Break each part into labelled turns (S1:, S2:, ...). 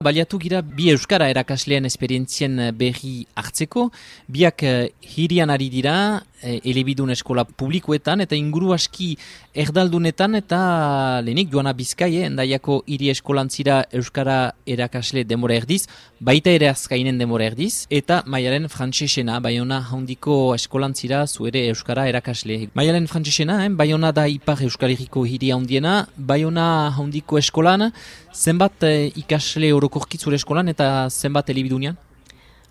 S1: Baliatu gira bi euskara erakasleen esperientzien berri hartzeko, biak hirian ari dira, elebidun eskola publikoetan eta inguru aski erdaldunetan eta lehenik Joana Bizkai, Hendaiako hiri eskolantzira euskara erakasle denbora erdiz, baita ere azkainen denbora erdiz, eta Maialen Frantsesena, Baiona handiko eskolantzira zuere euskara erakasle. Maialen Frantsesena, Baiona da ipar Euskal Herriko hiri handiena, Baiona handiko eskolan, zenbat ikasle orokorki zure eskolan eta zenbat elebidunean?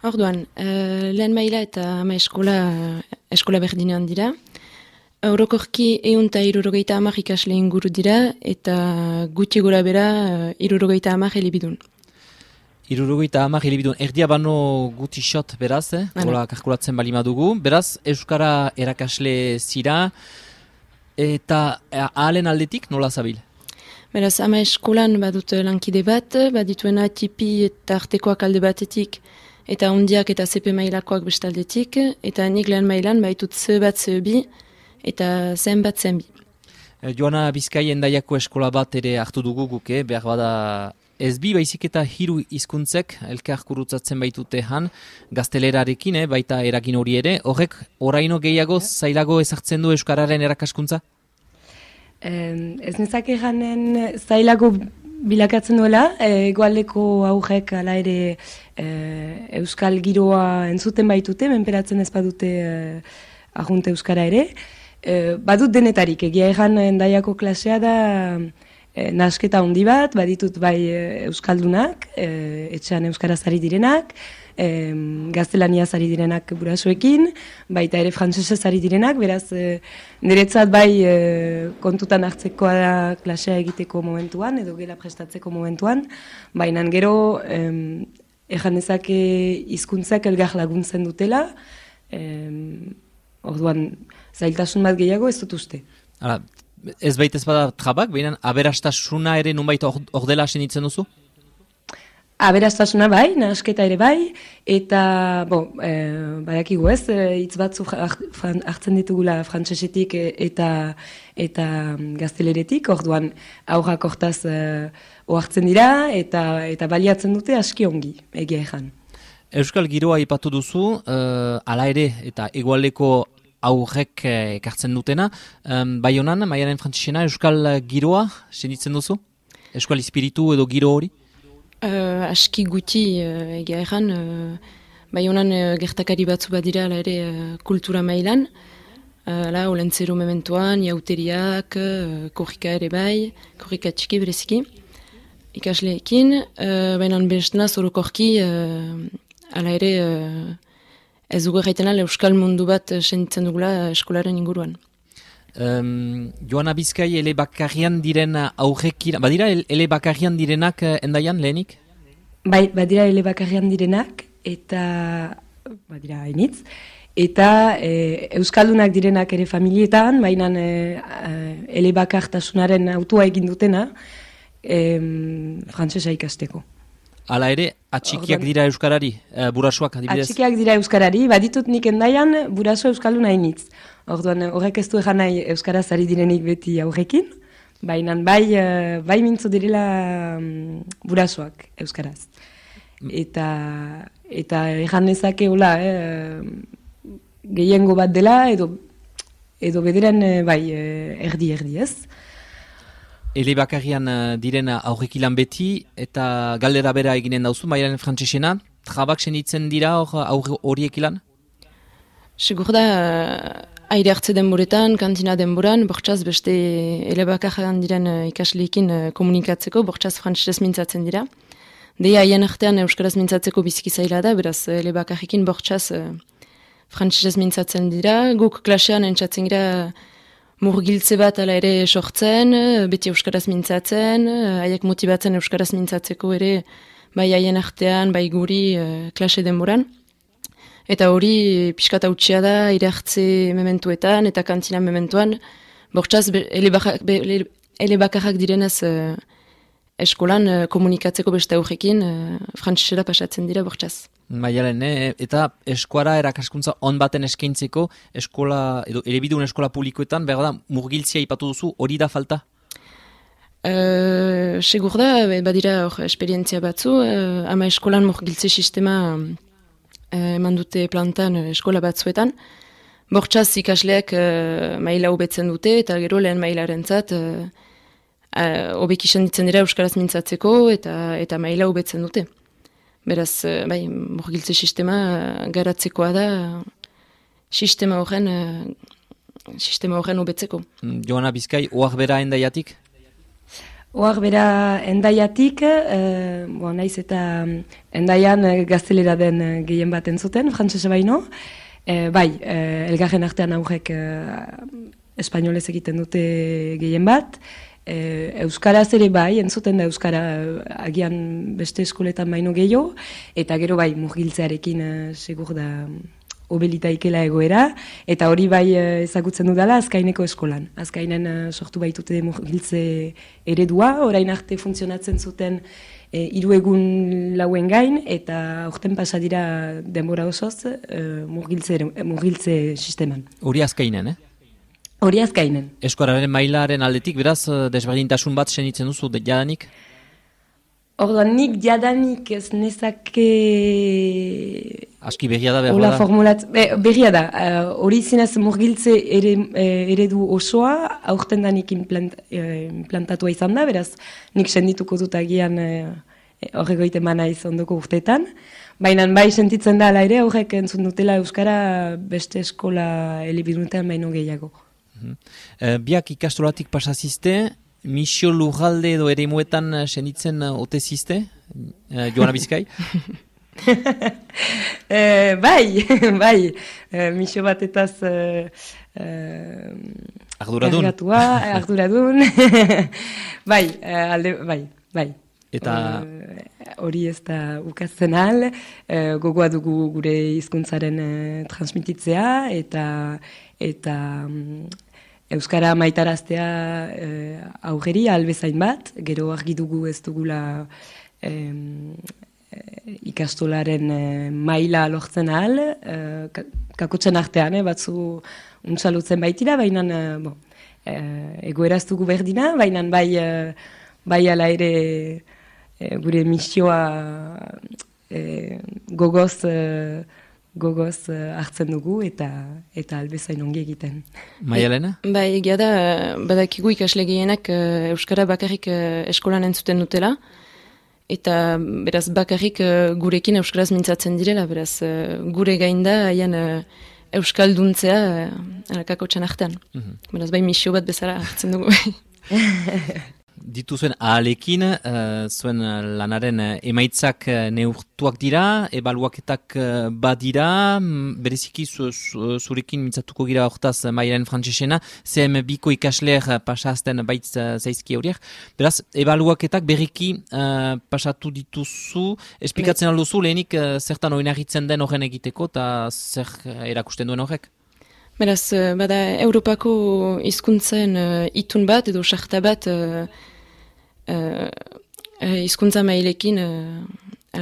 S2: Orduan, lehen maila eta ama eskola berdinean dira. Orokorki 160 ikasle inguru dira eta gutxi gora bera 70 elebidun.
S1: 70 elebidun, erdia bano guti xot beraz, hola kalkulatzen balima dugu. Beraz, euskara erakasle zira eta ahalen aldetik nola zabil?
S2: Beraz, ama eskolan badut lankide bat, badituena tipi eta artekoak alde batetik, eta ondiak eta CP mailakoak bestaldetik, eta nik lehen mailan baitut ze bat ze bi, eta zen bat zen bi.
S1: Joana Bizkai Hendaiako eskola bat ere hartu dugu guk, behar bada ez bi baizik eta hiru hizkuntzek elkar kurutzatzen baitute han, gaztelerarekin, baita eragin hori ere, horrek oraino gehiago zailago ezartzen du euskararen erakaskuntza?
S3: Ez nezake janen zailago bilakatzen duela, egoaldeko aurrek ala ere euskal giroa entzuten baitute, menperatzen ez badute arrunte euskara ere. Badut denetarik, egia egan Hendaiako klasea da nasketa handi bat, baditut bai euskaldunak, etxean euskaraz ari direnak, gaztelaniaz ari direnak burasoekin, baita ere frantsesez ari direnak, beraz niretzat bai kontutan hartzekoa da klasea egiteko momentuan, edo gela prestatzeko momentuan, baina gero ejan dezake hizkuntzak elgar laguntzen dutela, orduan zailtasun bat gehiago ez dut uste.
S1: Hala, ez baita ez bada trabak, baina aberastasuna ere nunbait ordela senitzen duzu?
S3: Aberastasuna bai, nahasketa ere bai, eta badakigu ez, hitz batzu hartzen ditugula frantsesetik eta gazteleretik, orduan aurrak hortaz ohartzen dira eta baliatzen dute aski ongi, egia ejan.
S1: Euskal giroa aipatu duzu, hala ere eta hegoaldeko aurrek ekartzen dutena, Baionan, Maialen Frantsesena, euskal giroa sentitzen duzu? Euskal espiritu edo giro hori?
S2: Aski guti egia egan, Baionan gertakari batzu badira ala ere kultura mailan, olentzero mementuan, jauteriak, korrika ere bai, korrika txiki bereziki, ikasleekin, baina bestena zorokorki ala ere ez dugu erraiten ala euskal mundu bat sentitzen dugula eskolaren inguruan.
S1: Joana Bizkai elebakarrian diren aurrekin, badira elebakarrian direnak Hendaian lehenik?
S3: Bai, badira elebakarrian direnak, eta badira hainitz, eta euskaldunak direnak ere familietan, baina elebakartasunaren autua egin dutena frantsesa ikasteko.
S1: Hala ere, atxikiak dira euskarari, burasoak adibidez?
S3: Atxikiak dira euskarari, baditut nik Hendaian buraso euskaldun hainitz. Orduan, horrek ez du egan nahi euskaraz ari direnik beti aurrekin, baina bai mintzo direla burasoak euskaraz. Eta egan nezake hola, gehiengo bat dela, edo bederen erdi ez.
S1: Elebakarrian diren aurrekilan beti, eta galdera bera eginen dauzu, Maialen Frantsesena, trabak senitzen dira horiek ilan?
S2: Segur da, aire hartze denboretan, kantina denboran, bortxaz beste elebakarrian diren ikasleekin komunikatzeko, bortxaz frantsesez mintzatzen dira. Deia haien artean euskaraz mintzatzeko biziki zaila da, beraz elebakarrekin bortxaz frantsesez mintzatzen dira, guk klasean entzatzen gira murgiltze bat ala ere sortzen, beti euskaraz mintzatzen, haiek motibatzen euskaraz mintzatzeko ere, bai haien artean, bai guri klase denboran. Eta hori pixkat hautsia da, aire hartze mementuetan eta kantina mementuan, bortxaz elebakarrak direnez eskolan komunikatzeko beste aurrekin, frantsesera pasatzen dira bortxaz.
S1: Maialen, eta eskuara erakaskuntza on baten eskaintzeko eskola, edo elebidun eskola publikoetan, behar da, murgiltzia ipatu duzu, hori da falta?
S2: Segur da, badira hor esperientzia batzu, ama eskolan murgiltze sistema eman dute plantan eskola batzuetan. Bortxaz ikasleak maila hobetzen dute, eta gero lehen mailarentzat hobek izan ditzen dira euskaraz mintzatzeko, eta maila hobetzen dute. Beraz, bai, murgiltze sistema garatzekoa da sistema horren hobetzeko.
S1: Joana Bizkai, oak bera endaiatik?
S3: Oak bera endaiatik, naiz eta endaian gaztelera den gehien bat entzuten, frantsesa baino. Elgarren artean aurrek espainolez egiten dute gehien bat. Euskaraz ere bai, entzuten da Euskara agian beste eskoletan baino gehiago, eta gero bai, murgiltzearekin segur da obelita ikela egoera, eta hori bai ezagutzen dudala Azkaineko eskolan. Azkainen sortu baitute murgiltze eredua, orain arte funtzionatzen zuten 3 egun lauen gain, eta aurten pasa dira denbora osoz murgiltze sisteman.
S1: Hori Azkainen,
S3: Hori Azkainen.
S1: Eskolaren mailaren aldetik, beraz, desberdintasun bat senitzen duzu jadanik?
S3: Orduan, nik jadanik ez nezake...
S1: Aski berria da, behar
S3: da? Berria da. Hori zinez murgiltze eredu osoa, aurten da nik implantatua izan da, beraz, nik sendituko dut agian horregoite mana ondoko urteetan. Baina bai sentitzen da ala ere, horrek entzun dutela Euskara beste eskola elebidunetan baino gehiago.
S1: Biak ikastolatik pasazizte, misio lurralde edo ere muetan senditzen otezizte, Joana Bizkai?
S3: Bai, misio batetaz arduradun, bai.
S1: Eta
S3: hori ez da ukatzen al, gogoa dugu gure hizkuntzaren transmititzea, eta Euskara maitaraztea aurreri albezain bat, gero argi dugu ez dugula ikastolaren maila lortzen ahal, kakotzen artean, batzu untsalutzen baitira, baina egoeraz dugu berdina, baina bai ala ere gure misioa gogoz hartzen dugu eta albezain ongi egiten.
S1: Maialena?
S2: Bai, egia da, badakigu ikasle gehienak Euskara bakarrik eskolan entzuten dutela, eta beraz bakarrik gurekin Euskaraz mintzatzen direla, beraz gure gainda haien Euskalduntzea kakotxan artean. Beraz bai misio bat bezala hartzen dugu.
S1: Dituzuen ahalekin, zuen lanaren emaitzak neurtuak dira, ebaluaketak badira, bereziki zurekin mintzatuko gira hortaz mailaren frantsesena, CM2ko ikasleer pasazten baitz zaizki horiek. Beraz, ebaluaketak berriki pasatu dituzu, esplikatzen alduzu lehenik zertan oinarritzen den horren egiteko eta zer erakusten duen horrek?
S2: Beraz, bada Europako hizkuntzen itun bat edo sarta bat hizkuntza mailekin,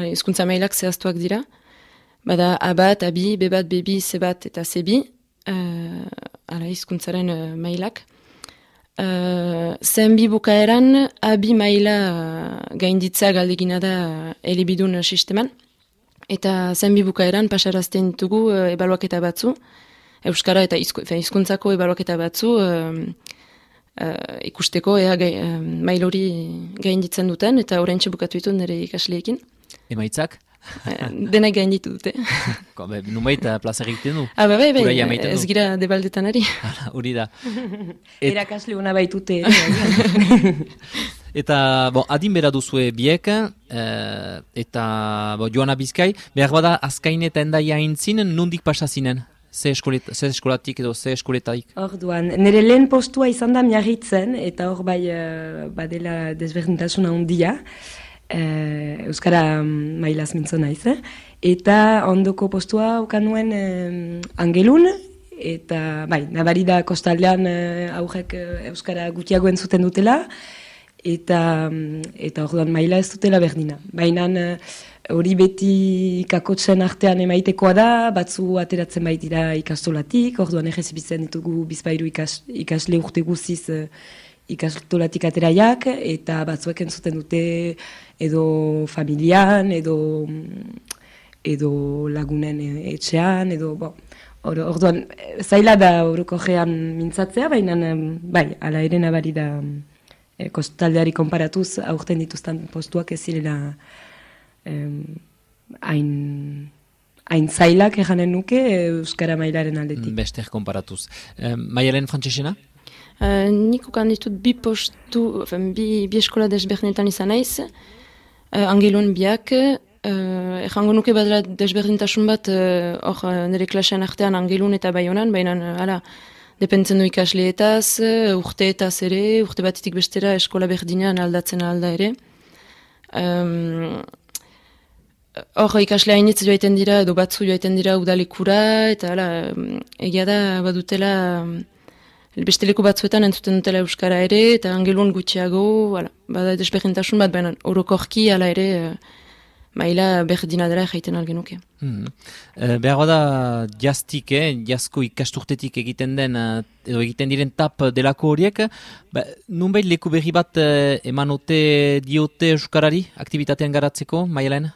S2: hizkuntza mailak zehaztuak dira. Bada A bat, A bi, B bat, B bi, C bat eta C bi, hizkuntzaren mailak. Zen bi bukaeran, A bi maila gainditza galdegina da elebidun sisteman. Eta zen bi bukaeran pasarazten ditugu ebaluaketa batzu, Euskara eta hizkuntzako ebaluaketa batzu ikusteko mail hori gainditzen duten, eta oraintxe bukatu ditu nire ikasleekin.
S1: Emaitzak?
S2: Denak gainditu dute.
S1: Numait plaza egiten du?
S2: Bai, ez gira debaldetan ari.
S1: Hori da.
S3: Erakasle hona baitute.
S1: Eta adin bera duzue biek, eta Joana Bizkai, behar bada Azkain eta Endaia aintzin, nondik pasazinen? Ze eskolatik edo ze eskoletaik?
S3: Orduan, nire lehen postua izan da Miarritzen, eta hor bai badela desberdintasuna handia, Euskara mailaz mintzona naiz, eta ondoko postua ukan nuen Angelun, eta bai, nabari da kostaldean aurrek Euskara gutiago entzuten dutela, eta orduan maila ez dutela berdina. Baina hori beti kakotzen artean emaitekoa da, batzu ateratzen baitira ikastolatik, orduan errezibitzen ditugu bizpairu ikasle urte guziz ikastolatik ateraiak, eta batzuek entzuten dute edo familian, edo lagunen etxean, edo, orduan, zaila da orokorrean mintzatzea, baina, bai, ala ere nabari da kostaldeari konparatuz, aurten dituzten postuak ez zirela hain zailak eganen nuke Euskara mailaren aldetik.
S1: Bester konparatuz. Maialen Frantsesena?
S2: Nik ukan ditut bi eskola desberdinetan izan naiz, angelun biak, errango nuke badala desberdintasun bat nire klasean artean angelun eta baionan, baina hala, depentzen du ikasleetaz, urteetaz ere, urte batetik bestera eskola berdinean aldatzen alda ere. Hor ikasle hainitz joaiten dira, edo batzu joaiten dira udalekura, eta hala, egia da badutela, beste leku batzuetan entzuten dutela Euskara ere, eta angelun gutxiago, bada desberdintasun bat, baina orokorki hala ere, maila berdina dela jaiten algenuke.
S1: Behar da jaztik, jazko ikasturtetik egiten den, edo egiten diren tap delako horiek, nunbait leku berri bat emanote diote Euskarari, aktivitatean garatzeko, Maialen?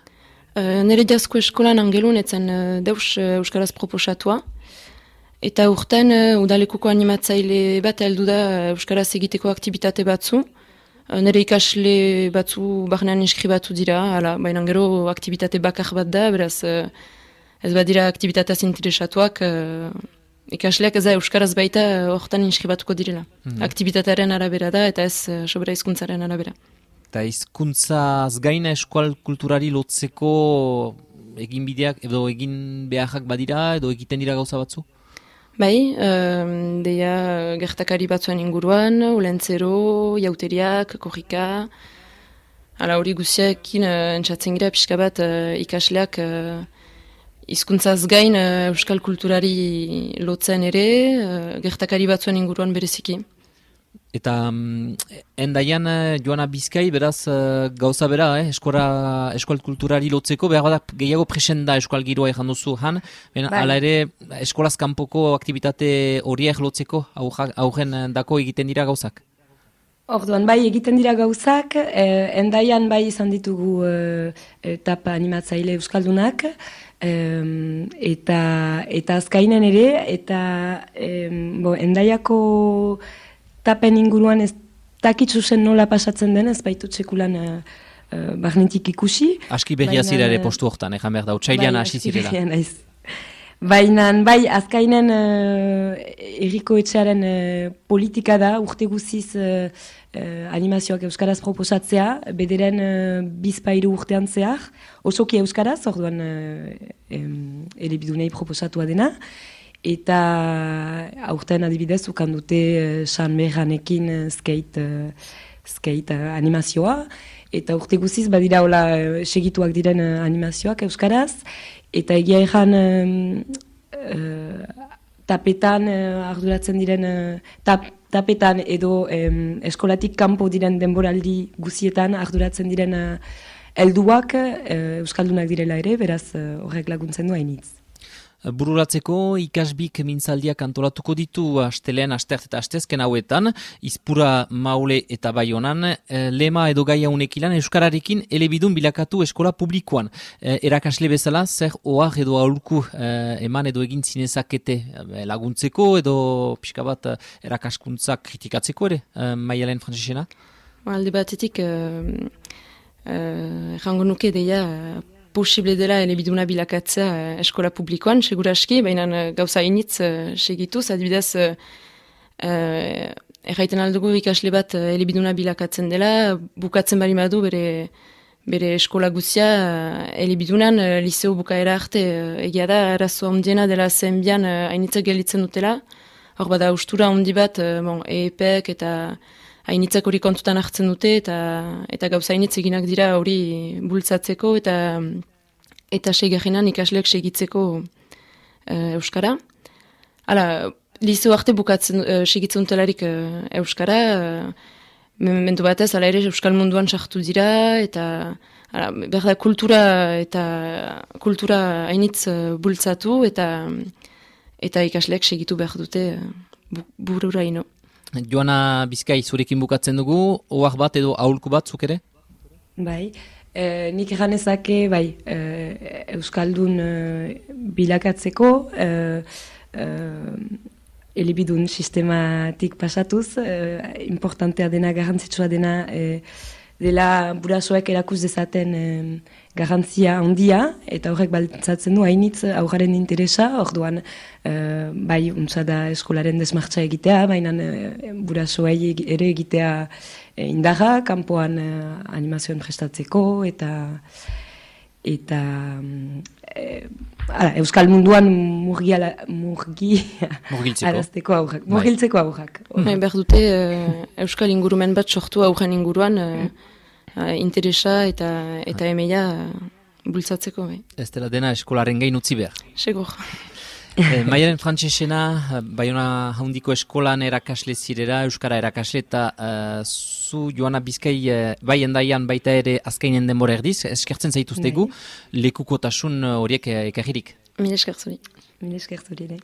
S2: Nire jazko eskolan angelun etzen deus Euskaraz proposatua, eta urten udalekuko animatzaile bat heldu da Euskaraz egiteko aktivitate batzu. Nire ikasle batzu barnean inskribatu dira, baina gero aktivitate bakar bat da, beraz ez badira aktivitateaz interesatuak, ikasleak ez da Euskaraz baita hortan inskribatuko direla. Aktivitatearen arabera da eta ez sobera hizkuntzaren arabera.
S1: Eta hizkuntzaz gaina eskual kulturari lotzeko egin bideak edo egin beharrak badira edo egiten dira gauza batzu?
S2: Bai, deia gertakari batzuen inguruan, ulentzero, jauteriak, korrika, hori guziakin entzatzen gira pixka bat ikasleak hizkuntzaz gain euskal kulturari lotzen ere, gertakari batzuen inguruan bereziki.
S1: Eta endaian Joana Bizkai, beraz gauza bera, eskual kulturari lotzeko, behar da gehiago presenda eskual giroa ejan duzu, hala ere eskolaz kanpoko aktivitate horiek lotzeko, aurren dako egiten dira gauzak?
S3: Orduan, bai egiten dira gauzak, endaian bai izan ditugu tapa animatzaile euskaldunak, eta azkainen ere, eta endaiako tapen inguruan ez dakitzu zen nola pasatzen den, ez baitu txekulan barnetik ikusi.
S1: Aski berria zira ere postu hortan, ejan behar da, utxailean hasi zirela.
S3: Baina, bai, azkainen erriko etxearen politika da, urte guziz animazioak euskaraz proposatzea, bederen bizpairu urtean zehar, osoki euskaraz, orduan elebidunei proposatua dena, eta aurten adibidez ukan dute San Berranekin skate animazioa, eta urte guziz badira hola segituak diren animazioak euskaraz, eta egia egan tapetan arduratzen diren tapetan edo eskolatik kanpo diren denboraldi guzietan arduratzen diren helduak euskaldunak direla ere, beraz horrek laguntzen du hainitz.
S1: Bururatzeko ikasbik mintzaldiak antolatuko ditu astelean, astert eta astezken hauetan, Izpura, Maule eta Baionan, lema edo gaia unekilan euskararekin elebidun bilakatu eskola publikoan. Erakasle bezala, zer ohar edo aholku eman edo egin zinezakete laguntzeko edo pixka bat erakaskuntza kritikatzeko ere, Maialen Frantsesena?
S2: Alde batetik, errango nuke deia posible dela elebiduna bilakatzea eskola publikoan, seguraski, baina gauza initz segituz, adibidez erraiten aldugu ikasle bat elebiduna bilakatzen dela, bukatzen bari badu bere eskola guzia elebidunan liceo bukaera arte egia da, arazo handiena dela zenbian hainitzak gelitzen dutela, hor bada ustura handi bat EEPek eta hainitzak hori kontutan hartzen dute eta gauza hainitz eginak dira hori bultzatzeko eta segerrenan ikasleak segitzeko euskara. Hala, liceo arte bukatzen segitzen dutelarik euskara, momentu batez, hala ere euskal munduan sartu dira eta berda kultura hainitz bultzatu eta ikasleak segitu behar dute bururaino.
S1: Joana Bizkai zurekin bukatzen dugu, ohar bat edo aholku bat zuk ere?
S3: Bai, nik eganezake, bai, Euskaldun bilakatzeko, elebidun sistematik pasatuz, importantea dena, garrantzitsua dena, dela burasoek erakuz dezaten garrantzia handia, eta horrek baltzatzen du hainitz aurraren interesa, orduan bai, untza da eskolaren desmartza egitea, baina burasoei ere egitea indarra, kanpoan animazioan prestatzeko, eta Euskal munduan murgiltzeko aurrak.
S2: Behar dute Euskal ingurumen bat sortu aurren inguruan interesa eta emeia bultzatzeko.
S1: Ez dela dena eskolaren gain utzi behar.
S2: Segur.
S1: Maialen Frantsesena, Baiona Handiko eskolan erakasle zirera, Euskara erakasle, eta zu Joana Bizkai bai endaian baita ere azkainen denbora erdiz, eskertzen zaituztegu, lekukotasun horiek ekarririk.
S2: Mil esker zuri.
S3: Mil esker zuri.